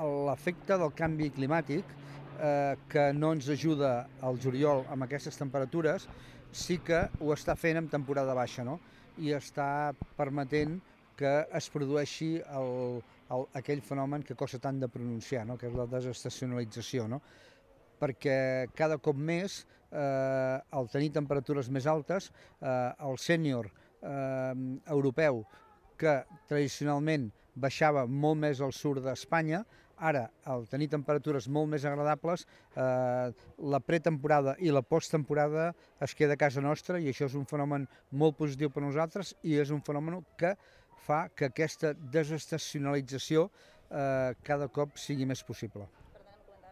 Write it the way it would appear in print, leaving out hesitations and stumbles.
l'efecte del canvi climàtic, que no ens ajuda al juliol amb aquestes temperatures, sí que ho està fent en temporada baixa, no? I està permetent que es produeixi aquell fenomen que costa tant de pronunciar, no? Que és la desestacionalització, no? Perquè cada cop més, al tenir temperatures més altes, el sènior europeu, que tradicionalment baixava molt més al sud d'Espanya, ara, al tenir temperatures molt més agradables, la pretemporada i la posttemporada es queda a casa nostra, i això és un fenomen molt positiu per a nosaltres, i és un fenomen que fa que aquesta desestacionalització cada cop sigui més possible.